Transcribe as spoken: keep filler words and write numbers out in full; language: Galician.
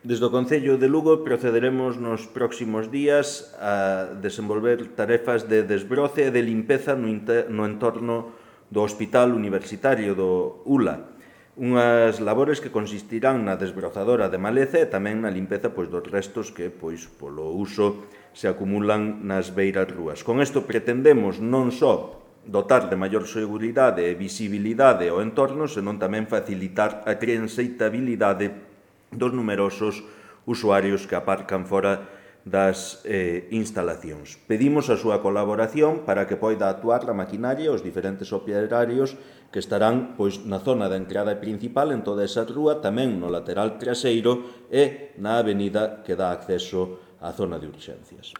Desde o Concello de Lugo procederemos nos próximos días a desenvolver tarefas de desbroce e de limpeza no, no entorno do Hospital Universitario do U L A. Unhas labores que consistirán na desbrozadora de maleza e tamén na limpeza pois, dos restos que, pois, polo uso, se acumulan nas beiras rúas. Con isto pretendemos non só dotar de maior seguridade e visibilidade ao entorno, senón tamén facilitar a transitabilidade dos numerosos usuarios que aparcan fora das eh, instalacións. Pedimos a súa colaboración para que poida actuar a maquinaria e os diferentes operarios que estarán pois, na zona da entrada principal en toda esa rúa, tamén no lateral traseiro e na avenida que dá acceso á zona de urxencias.